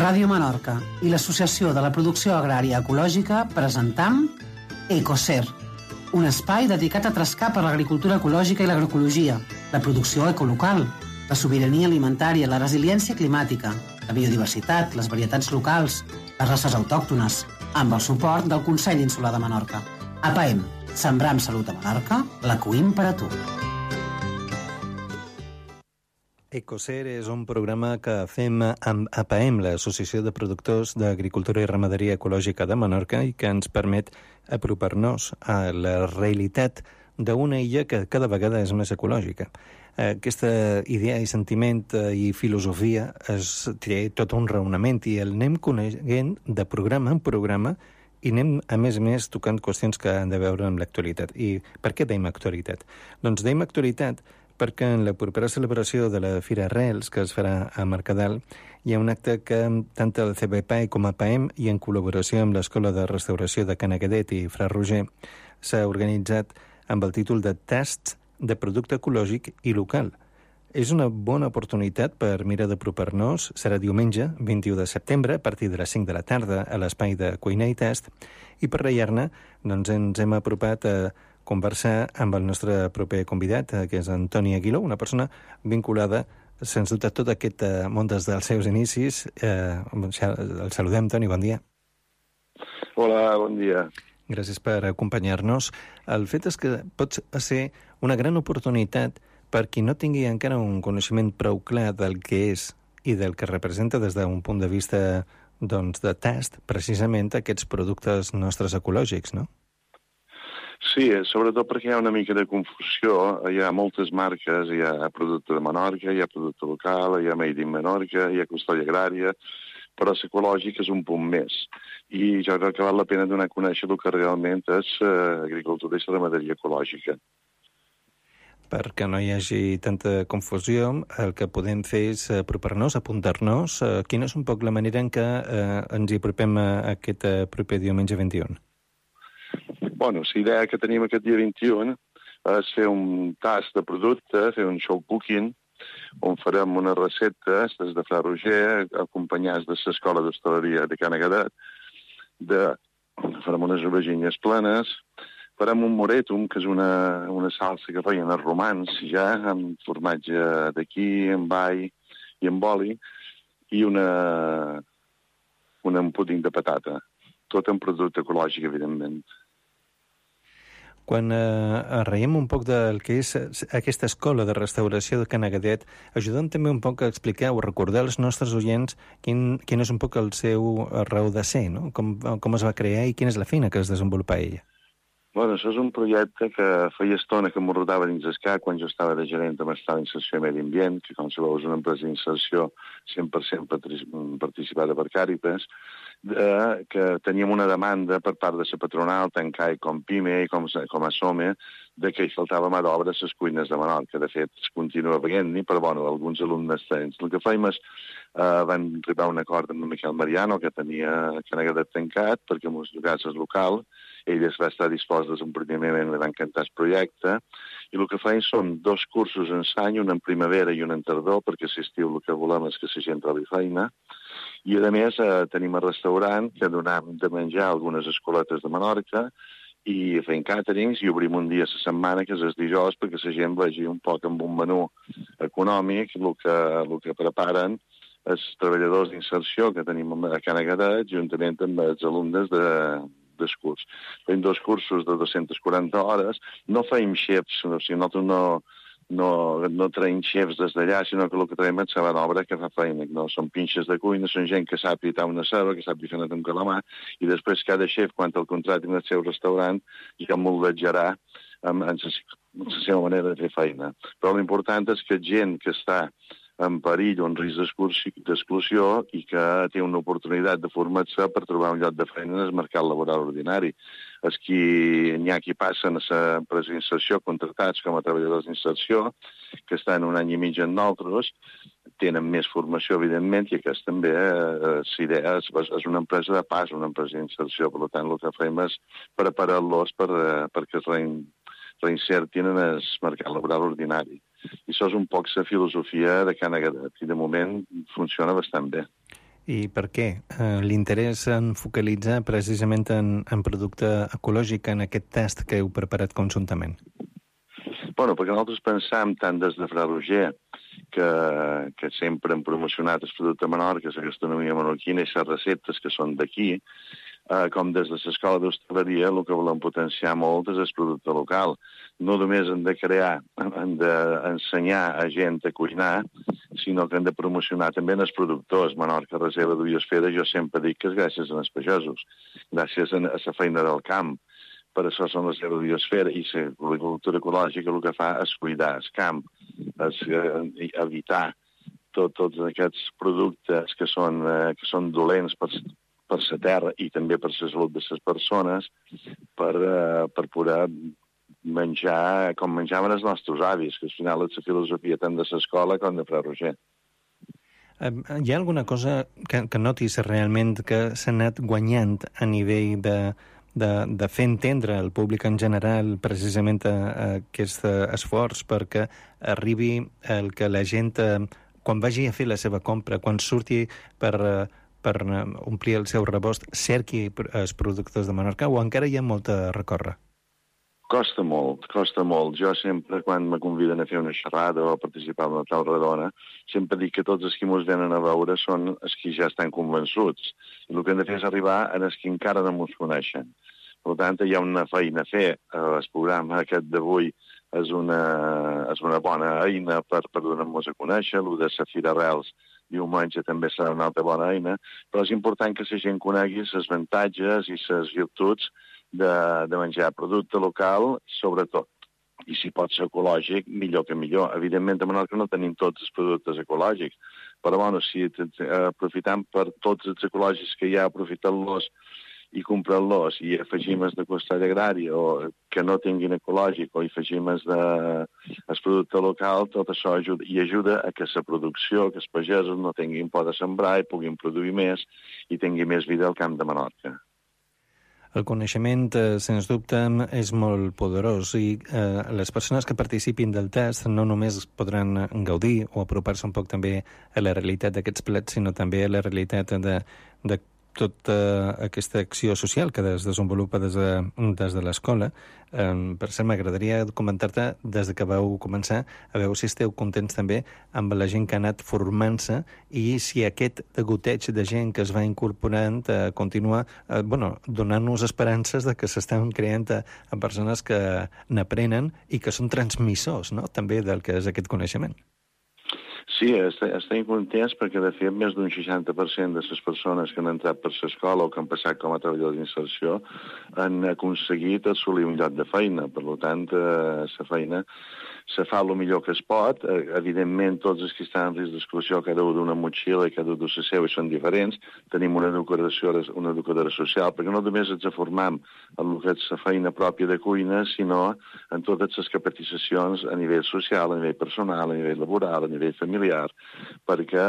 Ràdio Menorca i l'Associació de la Producció Agrària Ecològica presentam Ecocer, un espai dedicat a trascar per l'agricultura ecològica i l'agroecologia, la producció ecolocal, la sobirania alimentària, la resiliència climàtica, la biodiversitat, les varietats locals, les races autòctones, amb el suport del Consell Insular de Menorca. APAEM, sembrar amb salut a Menorca, la cuim per a tu. Ecocer és un programa que fem amb APAEM, l'Associació de Productors d'Agricultura i Ramaderia Ecològica de Menorca, i que ens permet apropar-nos a la realitat d'una illa que cada vegada és més ecològica. Aquesta idea i sentiment i filosofia té tot un raonament i el anem coneguent de programa en programa i anem, a més, tocant qüestions que han de veure amb l'actualitat. I per què dèiem actualitat? Doncs dèiem actualitat perquè en la propera celebració de la Fira Arrels, que es farà a Mercadal, hi ha un acte que tant el CBPAE com APAEM i en col·laboració amb l'Escola de Restauració de Canagadet i Fra Roger s'ha organitzat amb el títol de Tasts de producte ecològic i local. És una bona oportunitat per mirar d'apropar-nos. Serà diumenge, 21 de setembre, a partir de les 5 de la tarda, a l'espai de cuina i tast. I per reiar-ne, doncs ens hem apropat a conversar amb el nostre proper convidat, que és Antoni Aguiló, una persona vinculada, sens dubte, a tot aquest món des dels seus inicis. El saludem, Toni, bon dia. Hola, bon dia. Gràcies per acompanyar-nos. El fet és que pot ser una gran oportunitat per qui no tingui encara un coneixement prou clar del que és i del que representa des d'un punt de vista de tast, precisament aquests productes nostres ecològics, no? Sí, sobretot perquè hi ha una mica de confusió. Hi ha moltes marques, hi ha producte de Menorca, hi ha producte local, hi ha Made in Menorca, hi ha custòdia agrària, però l'ecològic és un punt més. I jo crec que val la pena donar a conèixer el que realment és agricultura i ramaderia ecològica. Perquè no hi hagi tanta confusió, el que podem fer és apropar-nos, apuntar-nos. Quina és un poc la manera en què ens hi apropem a aquest proper diumenge 21? Bueno, la idea que tenim aquest dia 21 és fer un tast de producte, fer un show cooking, on farem unes receptes des de Fra Roger, acompanyats de l'Escola d'Hostaleria de Canagadet, farem unes aubergines plenes, farem un moretum, que és una salsa que feien els romans ja, amb formatge d'aquí, amb all i amb oli, i un puding de patata. Tot en producte ecològic, evidentment. Quan reiem un poc del que és aquesta escola de restauració de Canagadet, ajudem també un poc a explicar o recordar als nostres oients quin és un poc el seu raó de ser, no? Com es va crear i quina és la feina que es desenvolupa ella. Bueno, això és un projecte que feia estona que m'ho rodava dins el cap quan jo estava de gerent amb l'estat d'inserció i medi ambient, que com sabeu és una empresa d'inserció 100% participada per Càritas, que teníem una demanda per part de la patronal, tant CAE com PIME i com a SOME, de que hi faltava mà d'obra a les cuines de Menorca. De fet, es continua veient-hi, però bueno, alguns alumnes tenen. El que fèiem és van arribar a un acord amb el Miquel Mariano, que tenia Canagadet tancat, perquè en els casos local, ell es va estar dispost des d'un primer moment, li va encantar el projecte, i el que feien són 2 cursos en l'any, un en primavera i un en tardor, perquè si estiu el que volem és que la gent trobi feina, i a més tenim el restaurant que donem de menjar a algunes escoletes de Menorca i fem càterings i obrim un dia a la setmana, que és el dijous, perquè la gent vegi un poc amb un menú econòmic el que preparen els treballadors d'inserció que tenim a Canagadet, juntament amb els alumnes del curs. Fem 2 cursos de 240 hores, no feim xefs, o sigui, nosaltres no traiem xefs des d'allà, sinó que el que traiem és la obra que fa feina. No? Són pinxes de cuina, són gent que sap pitar una ceba, que sap fer un calamar, i després cada xef, quan el contratin al seu restaurant, ja moldejarà amb la seva manera de fer feina. Però l'important és que gent que està en perill o en risc d'exclusió i que té una oportunitat de formar-se per trobar un lloc de feina en el mercat laboral ordinari. N'hi ha qui passen a l'empresa d'inserció contractats com a treballadors d'inserció, que estan un any i mig en nosaltres, tenen més formació, evidentment, i aquesta també és una empresa de pas, una empresa d'inserció. Per tant, el que fem és preparar-los perquè es reinsertin en el mercat laboral ordinari. I això és un poc la filosofia de Canagadet, i de moment funciona bastant bé. I per què? L'interès en focalitzar precisament en producte ecològic en aquest tast que heu preparat conjuntament? Bueno, perquè nosaltres pensam tant des de Fra Roger, que sempre hem promocionat el producte de Menorca, la gastronomia menorquina i les receptes que són d'aquí, com des de l'escola d'hostaleria, el que volem potenciar molt és el producte local. No només hem de crear, hem d'ensenyar a gent a cuinar, sinó que hem de promocionar també els productors. Menorca, reserva de biosfera, jo sempre dic que és gràcies als pagesos, gràcies a la feina del camp. Per això són les reserves de biosfera i l'agricultura ecològica el que fa és cuidar el camp, és evitar tots aquests productes que són dolents per la terra i també per la salut de les persones, per poder menjar com menjaven els nostres avis, que al final és la filosofia tant de l'escola com de Fra Roger. Hi ha alguna cosa que notis realment que s'ha anat guanyant a nivell de fer entendre al públic en general precisament aquest esforç perquè arribi el que la gent, quan vagi a fer la seva compra, quan surti per omplir el seu rebost, cerqui els productes de Menorca, o encara hi ha molt a recórrer? Costa molt. Jo sempre, quan me conviden a fer una xerrada o a participar en una taula redona, sempre dic que tots els que ens venen a veure són els que ja estan convençuts. I el que hem de fer és arribar a els que encara no ens coneixen. Per tant, hi ha una feina a fer. El programa aquest d'avui és una bona eina per donar-nos a conèixer. El de la Fira Arrels diumenge també serà una altra bona eina, però és important que la gent conegui els avantatges i les virtuts de menjar producte local, sobretot. I si pot ser ecològic, millor que millor. Evidentment, a Menorca no tenim tots els productes ecològics, però bueno, si aprofitam per tots els ecològics que hi ha, aprofitant-los i comprant-los i afegim els de costall agrari o que no tinguin ecològic o afegim els del producte local, tot això ajuda a que la producció, que els pagesos no tinguin por de sembrar i puguin produir més i tingui més vida al camp de Menorca. El coneixement, sens dubte, és molt poderós i les persones que participin del test no només podran gaudir o apropar-se un poc també a la realitat d'aquests plats, sinó també a la realitat de tota aquesta acció social que es desenvolupa des de l'escola. Per cert, m'agradaria comentar-te, des de que vau començar, a veure si esteu contents també amb la gent que ha anat formant-se i si aquest degoteig de gent que es va incorporant continua donant-nos esperances de que s'estan creant a persones que n'aprenen i que són transmissors, no?, també del que és aquest coneixement. Sí, estem contents perquè, de fet, més d'un 60% de les persones que han entrat per l'escola o que han passat com a treballadors d'inserció han aconseguit assolir un lloc de feina. Per tant, la feina se fa el millor que es pot. Evidentment, tots els que estan en risc d'exclusió, cada un d'una motxilla i cada un de la seva, són diferents. Tenim una educadora social, perquè no només ens formam en el que és la feina pròpia de cuina, sinó en totes les capacitacions a nivell social, a nivell personal, a nivell laboral, a nivell familiar, perquè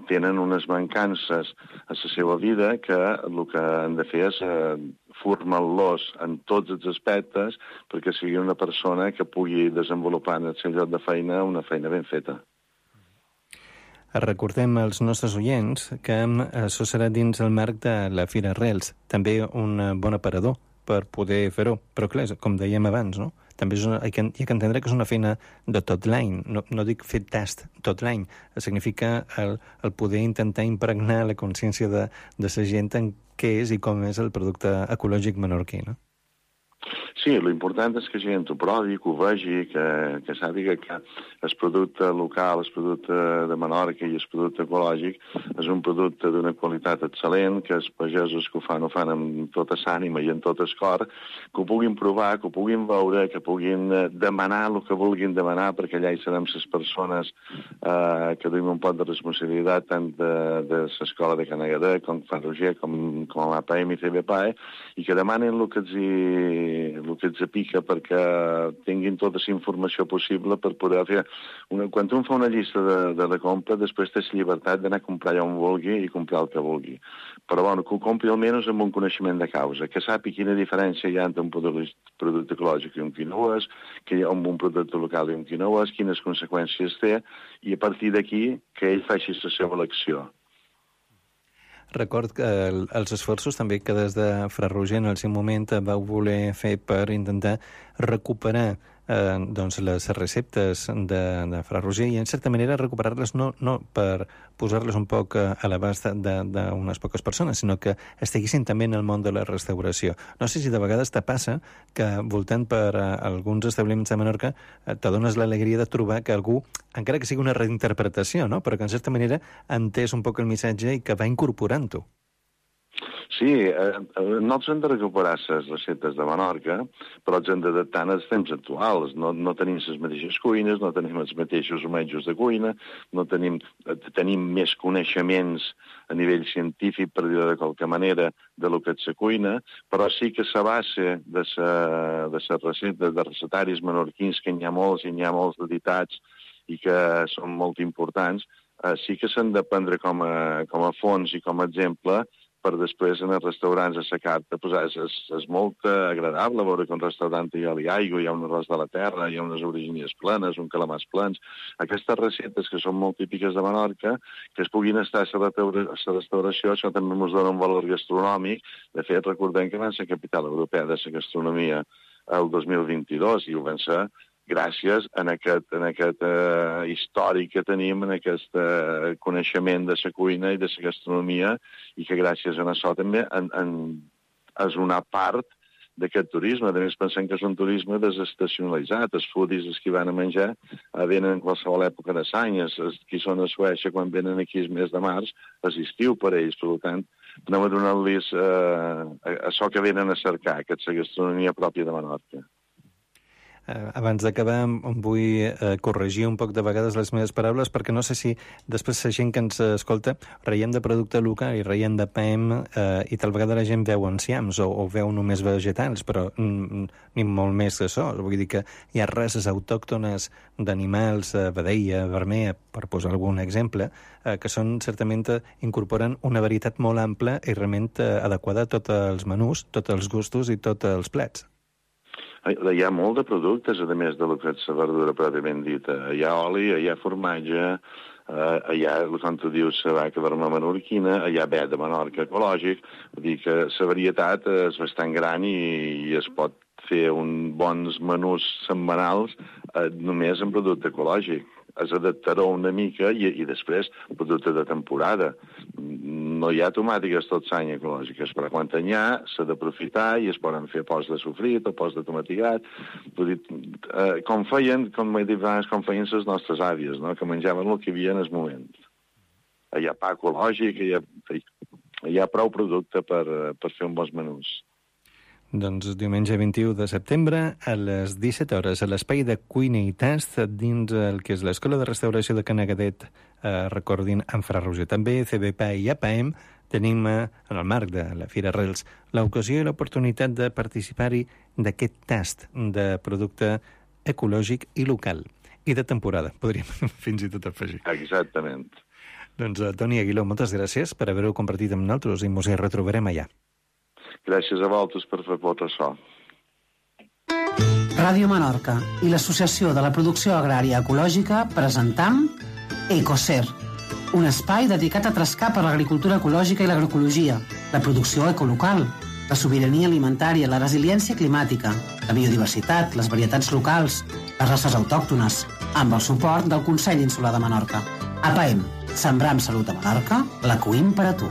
tenen unes mancances a la seva vida que el que han de fer és formar-los en tots els aspectes perquè sigui una persona que pugui desenvolupar en el seu lloc de feina una feina ben feta. Recordem als nostres oients que això serà dins el marc de la Fira Arrels, també un bon aparador per poder fer-ho, però clar, com dèiem abans, no? També hi ha que entendre que és una feina de tot l'any, no dic fer tast tot l'any, significa el poder intentar impregnar la consciència de la gent en què és i com és el producte ecològic menorquí, no? Sí, l'important és que la gent ho provi, que ho vegi, que sàpiga que el producte local, el producte de Menorca i el producte ecològic és un producte d'una qualitat excel·lent, que els pagesos que ho fan amb tota l'ànima i amb tot el cor, que ho puguin provar, que ho puguin veure, que puguin demanar el que vulguin demanar, perquè allà hi serem les persones que duim un pot de responsabilitat tant de l'escola de Can Agadà, com Fra Roger, com APM i CBPAE, i que demanen el que els apica perquè tinguin tota la informació possible per poder fer... Quan un fa una llista de la compra, després té la llibertat d'anar a comprar allà on vulgui i comprar el que vulgui. Però bueno, que ho compri almenys amb un coneixement de causa, que sàpiga quina diferència hi ha entre un producte ecològic i un que no és, que hi ha un producte local i un que no és, quines conseqüències té, i a partir d'aquí que ell faci la seva elecció. Record que els esforços també que des de Fra Roger en el seu moment vau voler fer per intentar recuperar doncs les receptes de Fra Roger i en certa manera recuperar-les no per posar-les un poc a l'abast d'unes poques persones, sinó que estiguessin també en el món de la restauració. No sé si de vegades te passa que voltant per alguns establiments de Menorca t'adones l'alegria de trobar que algú, encara que sigui una reinterpretació, no? Però que en certa manera ha entès un poc el missatge i que va incorporant-ho. Sí, nosaltres hem de recuperar les receptes de Menorca, però ens hem d'adaptar als temps actuals. No tenim les mateixes cuines, no tenim els mateixos metges de cuina, tenim més coneixements a nivell científic, per dir-ho de qualque manera, de lo que és la cuina, però sí que la base de les receptes, de recetaris menorquins, que n'hi ha molts editats i que són molt importants, sí que s'han de prendre com a fons i com a exemple per després en els restaurants a la carta posar. És molt agradable veure que un restaurant hi ha aigua, hi ha un arròs de la terra, hi ha unes aubergines plenes, un calamars plens. Aquestes receptes que són molt típiques de Menorca, que es puguin estar a la restauració, això també ens dona un valor gastronòmic. De fet, recordem que van ser capital europea de la gastronomia el 2022 i ho van ser gràcies a aquest històric que tenim, en aquest coneixement de la cuina i de la gastronomia, i que gràcies a això també és una part d'aquest turisme. A més, pensem que és un turisme desestacionalitzat. Els foodies, els que van a menjar, venen en qualsevol època de l'any. Els que són a Suècia, quan venen aquí el mes de març, és estiu per ells. Per tant, anem a donar-los això que venen a cercar, que és la gastronomia pròpia de Menorca. Abans d'acabar, vull corregir un poc de vegades les meves paraules, perquè no sé si després la gent que ens escolta reiem de producte local i reiem de PAEM i tal vegada la gent veu enciams o veu només vegetals, però ni molt més que això. Vull dir que hi ha races autòctones d'animals, vedella, vermella, per posar algun exemple, que són certament incorporen una varietat molt ampla i realment adequada a tots els menús, tots els gustos i tots els plats. Hi ha molt de productes, a més de lo que és la verdura pròpiament dita. Hi ha oli, hi ha formatge, hi ha, com tu dius, la vaca vermella menorquina, hi ha ve de Menorca ecològic. Vull dir que la varietat és bastant gran i es pot fer bons menús setmanals només en producte ecològic. Es adaptarà una mica i després producte de temporada. No hi ha tomàtiques tot l'any ecològiques, però quan n'hi ha s'ha d'aprofitar i es poden fer pots de sofrit o pots de tomatigat. Com feien les nostres àvies, no? Que menjaven el que hi havia en el moment. Hi ha pa ecològic, hi ha prou producte per fer uns bons menús. Doncs diumenge 21 de setembre a les 17 hores a l'espai de cuina i tast dins el que és l'Escola de Restauració de Canagadet, recordin, en Fra Roger. També CBPA i APAEM tenim en el marc de la Fira Arrels l'ocasió i l'oportunitat de participar-hi d'aquest tast de producte ecològic i local. I de temporada, podríem fins i tot afegir. Exactament. Doncs Toni Aguiló, moltes gràcies per haver-ho compartit amb nosaltres i ens hi retrobarem allà. Gràcies a vosaltres per fer tot això. Ràdio Menorca i l'Associació de la Producció Agrària Ecològica presentam EcoSer, un espai dedicat a trascar per l'agricultura ecològica i l'agroecologia, la producció ecolocal, la sobirania alimentària, la resiliència climàtica, la biodiversitat, les varietats locals, les races autòctones, amb el suport del Consell Insular de Menorca. APAEM, sembrar amb salut a Menorca, la cuim per a tu.